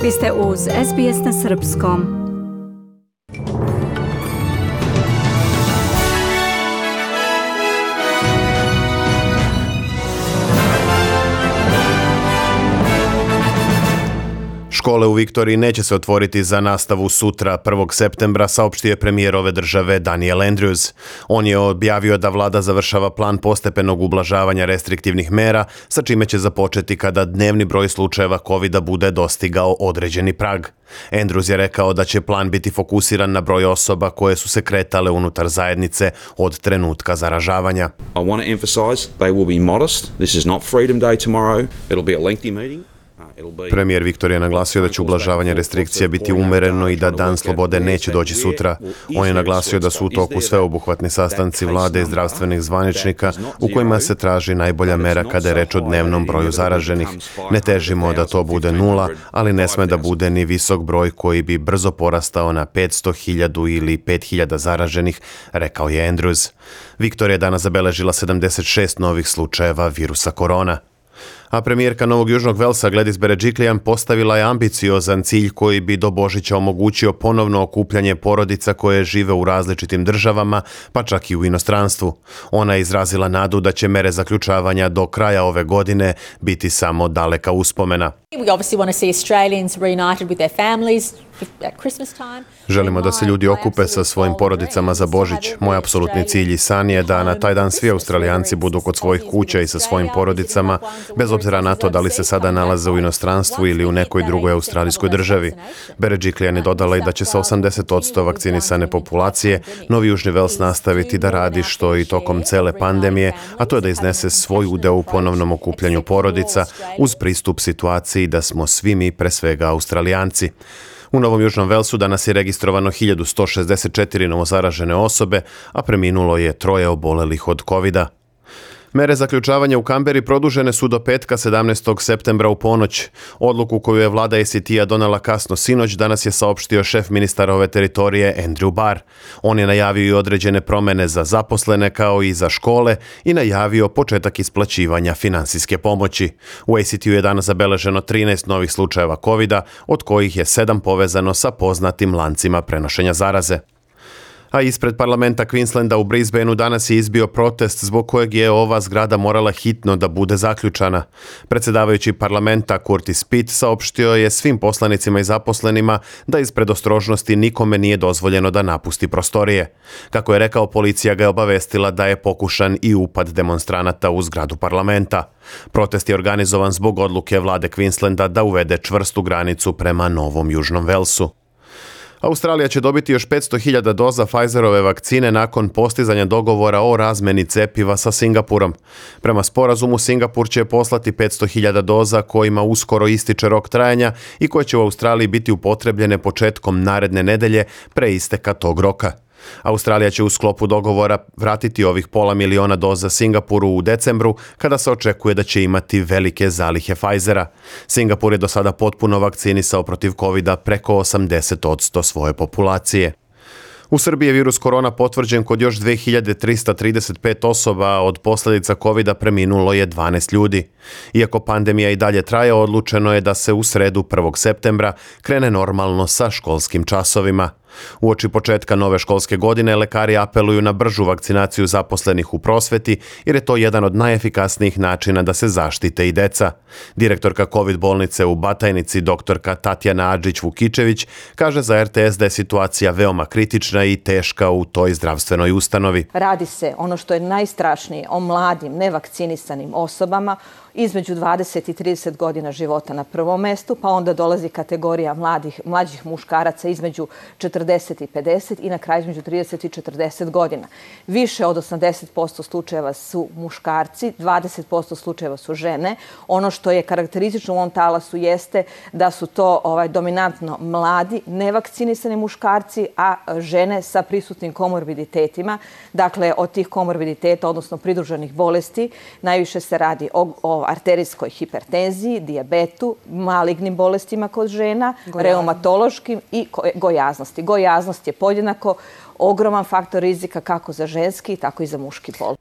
Vi ste uz SBS na Srpskom. Škole u Viktoriji neće se otvoriti za nastavu sutra, 1. septembra, saopštio je premijer ove države Daniel Andrews. On je objavio da vlada završava plan postepenog ublažavanja restriktivnih mera, sa čime će započeti kada dnevni broj slučajeva COVID-a bude dostigao određeni prag. Andrews je rekao da će plan biti fokusiran na broj osoba koje su se kretale unutar zajednice od trenutka zaražavanja. I want to emphasize they will be modest. This is not Freedom Day tomorrow. It'll be a lengthy meeting. Premijer Viktorije naglasio da će ublažavanje restrikcija biti umereno i da Dan slobode neće doći sutra. On je naglasio da su u toku sveobuhvatni sastanci vlade i zdravstvenih zvaničnika u kojima se traži najbolja mera kada je reč o dnevnom broju zaraženih. Ne težimo da to bude 0, ali ne sme da bude ni visok broj koji bi brzo porastao na 500.000 ili 5.000 zaraženih, rekao je Andrews. Viktorija je danas zabeležila 76 novih slučajeva virusa korona. A premijerka Novog Južnog Velsa Gladys Berejiklian postavila je ambiciozan cilj koji bi do Božića omogućio ponovno okupljanje porodica koje žive u različitim državama, pa čak i u inostranstvu. Ona je izrazila nadu da će mere zaključavanja do kraja ove godine biti samo daleka uspomena. Želimo da se ljudi okupe sa svojim porodicama za Božić. Moj apsolutni cilj i san je da na taj dan svi Australijanci budu kod svojih kuća i sa svojim porodicama, bez obzira na to da li se sada nalaze u inostranstvu ili u nekoj drugoj australijskoj državi. Berejiklian je dodala i da će sa 80% vakcinisane populacije Novi Južni Vels nastaviti da radi što i tokom cele pandemije, a to je da iznese svoj udeo u ponovnom okupljanju porodica uz pristup situaciji da smo svi mi pre svega Australijanci. U Novom Južnom Velsu danas je registrovano 1164 novozaražene osobe, a preminulo je 3 obolelih od COVID-a. Mere zaključavanja u Kamberi produžene su do petka 17. septembra u ponoć. Odluku koju je vlada ACT-a donela kasno sinoć danas je saopštio šef ministara ove teritorije Andrew Barr. On je najavio i određene promene za zaposlene kao i za škole i najavio početak isplaćivanja finansijske pomoći. U ACT-u je danas zabeleženo 13 novih slučajeva COVID-a, od kojih je 7 povezano sa poznatim lancima prenošenja zaraze. A ispred parlamenta Queenslanda u Brisbaneu danas je izbio protest zbog kojeg je ova zgrada morala hitno da bude zaključana. Predsjedavajući parlamenta Curtis Pitt saopštio je svim poslanicima i zaposlenima da iz predostrožnosti nikome nije dozvoljeno da napusti prostorije. Kako je rekao, policija ga je obavestila da je pokušan i upad demonstranata u zgradu parlamenta. Protest je organizovan zbog odluke vlade Queenslanda da uvede čvrstu granicu prema Novom Južnom Velsu. Australija će dobiti još 500.000 doza Pfizerove vakcine nakon postizanja dogovora o razmeni cepiva sa Singapurom. Prema sporazumu, Singapur će poslati 500.000 doza kojima uskoro ističe rok trajanja i koje će u Australiji biti upotrebljene početkom naredne nedelje pre isteka tog roka. Australija će u sklopu dogovora vratiti ovih 500.000 doza Singapuru u decembru, kada se očekuje da će imati velike zalihe Pfizera. Singapur je do sada potpuno vakcinisao protiv COVID-a preko 80% svoje populacije. U Srbiji je virus korona potvrđen kod još 2335 osoba, od posljedica COVID-a preminulo je 12 ljudi. Iako pandemija i dalje traje, odlučeno je da se u sredu 1. septembra krene normalno sa školskim časovima. Uoči početka nove školske godine lekari apeluju na bržu vakcinaciju zaposlenih u prosveti jer je to jedan od najefikasnijih načina da se zaštite i deca. Direktorka COVID bolnice u Batajnici, doktorka Tatjana Adžić-Vukičević, kaže za RTS da je situacija veoma kritična i teška u toj zdravstvenoj ustanovi. Radi se, ono što je najstrašnije, o mladim, nevakcinisanim osobama između 20 i 30 godina života na prvom mestu, pa onda dolazi kategorija mlađih muškaraca između 40 i 50 i na kraju između 30 i 40 godina. Više od 80% slučajeva su muškarci, 20% slučajeva su žene. Ono što je karakteristično u ovom talasu jeste da su to dominantno mladi, nevakcinisani muškarci, a žene sa prisutnim komorbiditetima. Dakle, od tih komorbiditeta, odnosno pridruženih bolesti, najviše se radi o arterijskoj hipertenziji, dijabetu, malignim bolestima kod žena, reumatološkim i gojaznosti. Gojaznost je podjednako ogroman faktor rizika kako za ženski, tako i za muški pol.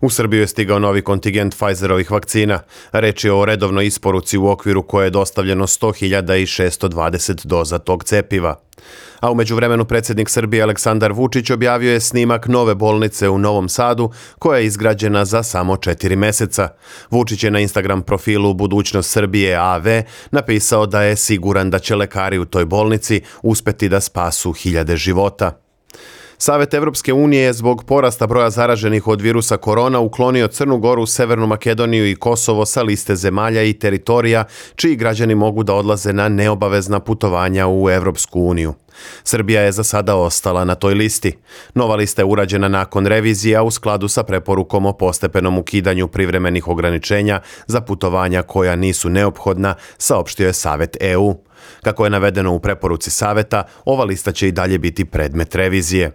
U Srbiju je stigao novi kontingent Pfizerovih vakcina. Reč je o redovnoj isporuci u okviru koje je dostavljeno 100.620 doza tog cepiva. A u međuvremenu predsjednik Srbije Aleksandar Vučić objavio je snimak nove bolnice u Novom Sadu koja je izgrađena za samo 4 meseca. Vučić je na Instagram profilu Budućnost Srbije AV napisao da je siguran da će lekari u toj bolnici uspeti da spasu hiljade života. Savet Evropske unije je zbog porasta broja zaraženih od virusa korona uklonio Crnu Goru, Severnu Makedoniju i Kosovo sa liste zemalja i teritorija čiji građani mogu da odlaze na neobavezna putovanja u Evropsku uniju. Srbija je za sada ostala na toj listi. Nova lista je urađena nakon revizija u skladu sa preporukom o postepenom ukidanju privremenih ograničenja za putovanja koja nisu neophodna, saopštio je Savet EU. Kako je navedeno u preporuci Saveta, ova lista će i dalje biti predmet revizije.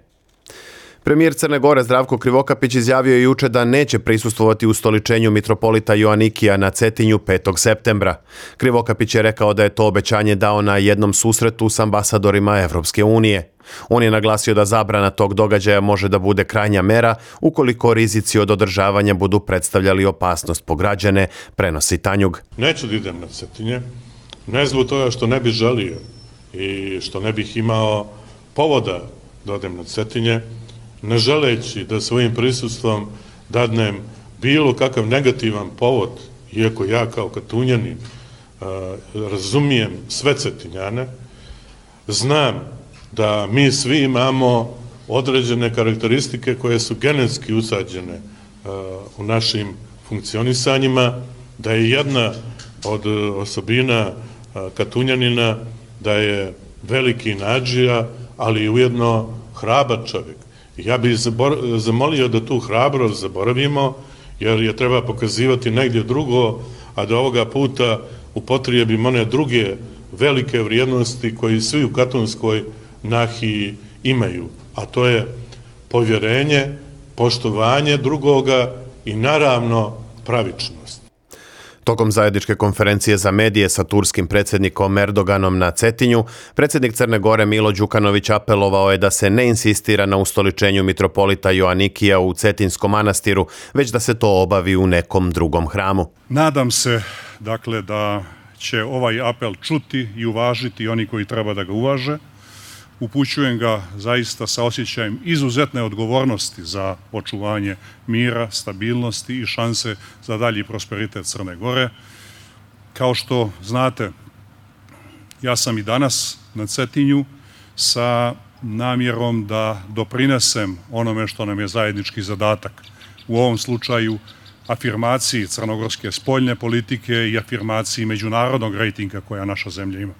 Premijer Crne Gore Zdravko Krivokapić izjavio je juče da neće prisustvovati ustoličenju mitropolita Joanikija na Cetinju 5. septembra. Krivokapić je rekao da je to obećanje dao na jednom susretu s ambasadorima Evropske unije. On je naglasio da zabrana tog događaja može da bude krajnja mera ukoliko rizici od održavanja budu predstavljali opasnost po građane, prenosi Tanjug. Neću da idem na Cetinje, ne zbog toga što ne bih želio i što ne bih imao povoda da odem na Cetinje, ne želeći da svojim prisustvom dadnem bilo kakav negativan povod, iako ja kao Katunjanin razumijem sve Cetinjane, znam da mi svi imamo određene karakteristike koje su genetski usađene u našim funkcionisanjima, da je jedna od osobina Katunjanina da je veliki nadžija, ali i ujedno hrabar čovjek. Ja bih zamolio da tu hrabrost zaboravimo, jer je treba pokazivati negdje drugo, a da ovoga puta upotrijebimo one druge velike vrijednosti koji svi u katonskoj nahiji imaju, a to je povjerenje, poštovanje drugoga i naravno pravičnost. Tokom zajedničke konferencije za medije sa turskim predsjednikom Erdoganom na Cetinju, predsjednik Crne Gore Milo Đukanović apelovao je da se ne insistira na ustoličenju mitropolita Joanikija u Cetinskom manastiru, već da se to obavi u nekom drugom hramu. Nadam se, dakle, da će ovaj apel čuti i uvažiti oni koji treba da ga uvaže. Upućujem ga zaista sa osjećajem izuzetne odgovornosti za očuvanje mira, stabilnosti i šanse za dalji prosperitet Crne Gore. Kao što znate, ja sam i danas na Cetinju sa namjerom da doprinesem onome što nam je zajednički zadatak. U ovom slučaju afirmaciji crnogorske spoljne politike i afirmaciji međunarodnog rejtinga koja naša zemlja ima.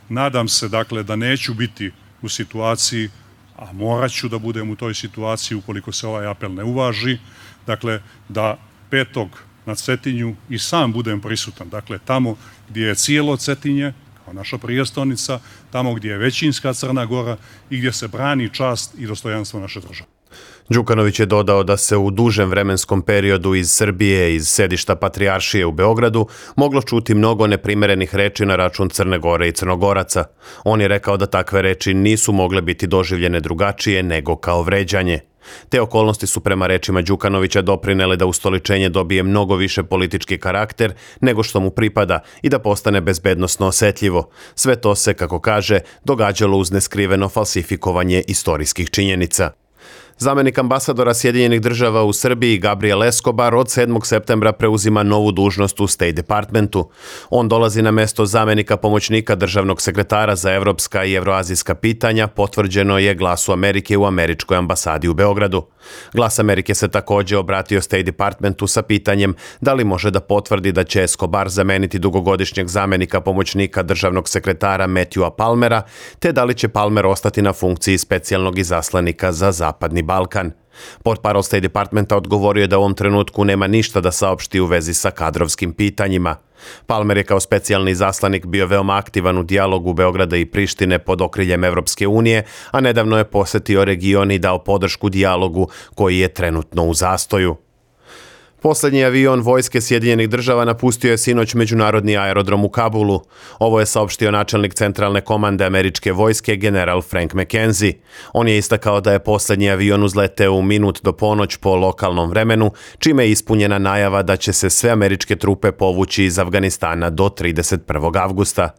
Nadam se, dakle, da neću biti u situaciji, a morat ću da budem u toj situaciji ukoliko se ovaj apel ne uvaži, dakle, da 5. na Cetinju i sam budem prisutan. Dakle, tamo gdje je cijelo Cetinje, kao naša prijestolnica, tamo gdje je većinska Crna Gora i gdje se brani čast i dostojanstvo naše države. Đukanović je dodao da se u dužem vremenskom periodu iz Srbije, iz sedišta Patrijaršije u Beogradu, moglo čuti mnogo neprimerenih reči na račun Crne Gore i Crnogoraca. On je rekao da takve reči nisu mogle biti doživljene drugačije nego kao vređanje. Te okolnosti su prema rečima Đukanovića doprinele da ustoličenje dobije mnogo više politički karakter nego što mu pripada i da postane bezbednosno osetljivo. Sve to se, kako kaže, događalo uz neskriveno falsifikovanje istorijskih činjenica. Zamenik ambasadora Sjedinjenih država u Srbiji Gabriel Escobar od 7. septembra preuzima novu dužnost u State Departmentu. On dolazi na mesto zamenika pomoćnika državnog sekretara za evropska i evroazijska pitanja, potvrđeno je Glasu Amerike u američkoj ambasadi u Beogradu. Glas Amerike se također obratio State Departmentu sa pitanjem da li može da potvrdi da će Escobar zameniti dugogodišnjeg zamenika pomoćnika državnog sekretara Matthewa Palmera, te da li će Palmer ostati na funkciji specijalnog izaslanika za Zapadni Balkan. Portparol State Departmenta odgovorio je da u ovom trenutku nema ništa da saopšti u vezi sa kadrovskim pitanjima. Palmer je kao specijalni izaslanik bio veoma aktivan u dijalogu Beograda i Prištine pod okriljem Evropske unije, a nedavno je posjetio region i dao podršku dijalogu koji je trenutno u zastoju. Poslednji avion vojske Sjedinjenih država napustio je sinoć međunarodni aerodrom u Kabulu. Ovo je saopštio načelnik centralne komande američke vojske general Frank McKenzie. On je istakao da je poslednji avion uzleteo u minut do ponoć po lokalnom vremenu, čime je ispunjena najava da će se sve američke trupe povući iz Afganistana do 31. avgusta.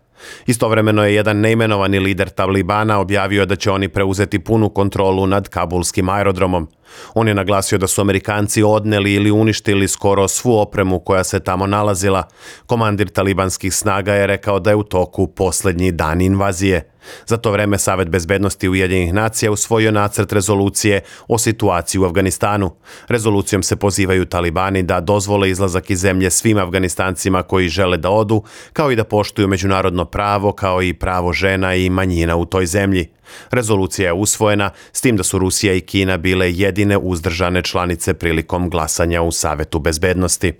Istovremeno je jedan neimenovani lider Talibana objavio da će oni preuzeti punu kontrolu nad kabulskim aerodromom. On je naglasio da su Amerikanci odneli ili uništili skoro svu opremu koja se tamo nalazila. Komandir talibanskih snaga je rekao da je u toku poslednji dan invazije. Za to vreme Savet bezbednosti Ujedinjenih nacija usvojio nacrt rezolucije o situaciji u Afganistanu. Rezolucijom se pozivaju Talibani da dozvole izlazak iz zemlje svim Afganistancima koji žele da odu, kao i da poštuju međunarodno pravo, kao i pravo žena i manjina u toj zemlji. Rezolucija je usvojena, s tim da su Rusija i Kina bile jedine uzdržane članice prilikom glasanja u Savetu bezbednosti.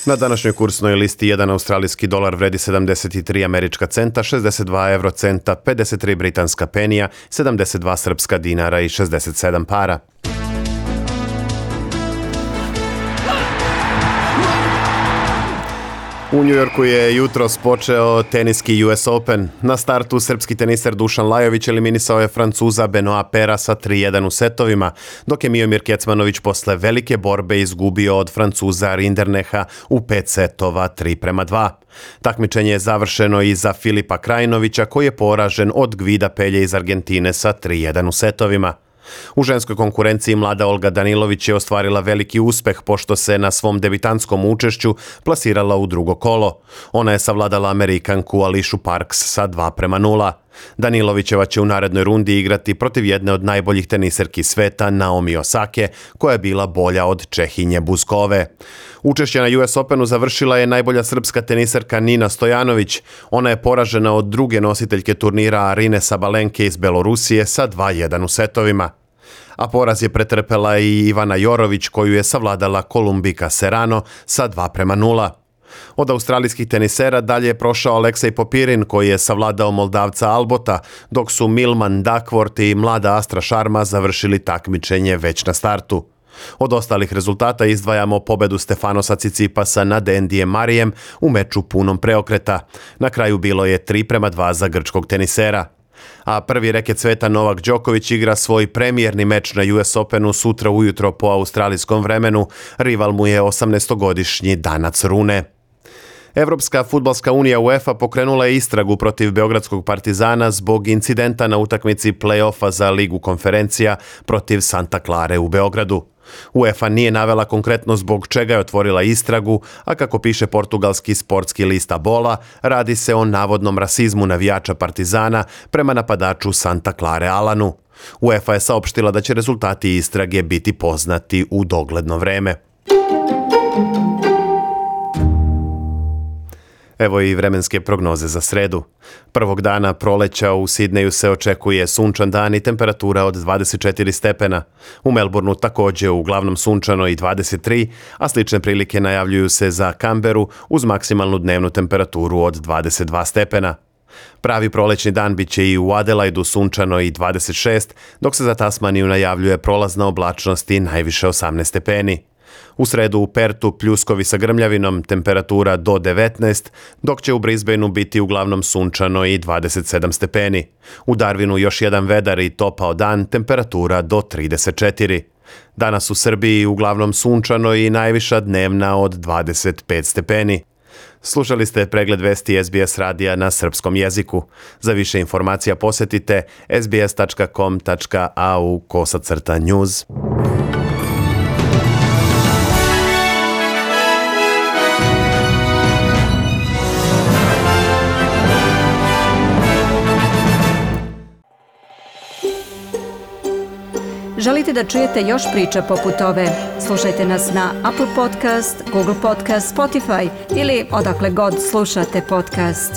Na današnjoj kursnoj listi jedan australijski dolar vredi 73 američka centa, 62 eurocenta, 53 britanska penija, 72 srpska dinara i 67 para. U Njujorku je jutros počeo teniski US Open. Na startu srpski teniser Dušan Lajović eliminisao je Francuza Benoit Paira sa 3-1 u setovima, dok je Miomir Kecmanović posle velike borbe izgubio od Francuza Rinderneha u 5 setova 3-2. Takmičenje je završeno i za Filipa Krajinovića, koji je poražen od Gvida Pelje iz Argentine sa 3-1 u setovima. U ženskoj konkurenciji mlada Olga Danilović je ostvarila veliki uspeh pošto se na svom debitantskom učešću plasirala u drugo kolo. Ona je savladala Amerikanku Ališu Parks sa 2-0. Danilovićeva će u narednoj rundi igrati protiv jedne od najboljih teniserki sveta, Naomi Osake, koja je bila bolja od Čehinje Buskove. Učešće na US Openu završila je najbolja srpska teniserka Nina Stojanović. Ona je poražena od druge nositeljke turnira Arine Sabalenke iz Belorusije sa 2-1 u setovima. A poraz je pretrpela i Ivana Jorović, koju je savladala Kolumbika Serrano sa 2-0. Od australijskih tenisera dalje je prošao Aleksej Popirin, koji je savladao Moldavca Albota, dok su Milman Duckworth i mlada Astra Sharma završili takmičenje već na startu. Od ostalih rezultata izdvajamo pobedu Stefanosa Cicipasa nad Andyjem Marijem u meču punom preokreta. Na kraju bilo je 3-2 za grčkog tenisera. A prvi reket sveta Novak Đoković igra svoj premijerni meč na US Openu sutra ujutro po australijskom vremenu. Rival mu je 18-godišnji Danac Rune. Evropska fudbalska unija UEFA pokrenula je istragu protiv beogradskog Partizana zbog incidenta na utakmici play-offa za Ligu konferencija protiv Santa Clare u Beogradu. UEFA nije navela konkretno zbog čega je otvorila istragu, a kako piše portugalski sportski list Bola, radi se o navodnom rasizmu navijača Partizana prema napadaču Santa Clare Alanu. UEFA je saopštila da će rezultati istrage biti poznati u dogledno vreme. Evo i vremenske prognoze za sredu. Prvog dana proleća u Sidneju se očekuje sunčan dan i temperatura od 24 stepena. U Melbourneu također uglavnom sunčano i 23, a slične prilike najavljuju se za Canberu uz maksimalnu dnevnu temperaturu od 22 stepena. Pravi prolećni dan bit će i u Adelaidu sunčano i 26, dok se za Tasmaniju najavljuje prolazna oblačnost i najviše 18 stepeni. U sredu u Pertu pljuskovi sa grmljavinom, temperatura do 19, dok će u Brisbaneu biti uglavnom sunčano i 27 stepeni. U Darwinu još jedan vedar i topao dan, temperatura do 34. Danas u Srbiji uglavnom sunčano i najviša dnevna od 25 stepeni. Slušali ste pregled vesti SBS radija na srpskom jeziku. Za više informacija posjetite sbs.com.au/news. Želite da čujete još priča poput ove? Slušajte nas na Apple Podcast, Google Podcast, Spotify ili odakle god slušate podcast.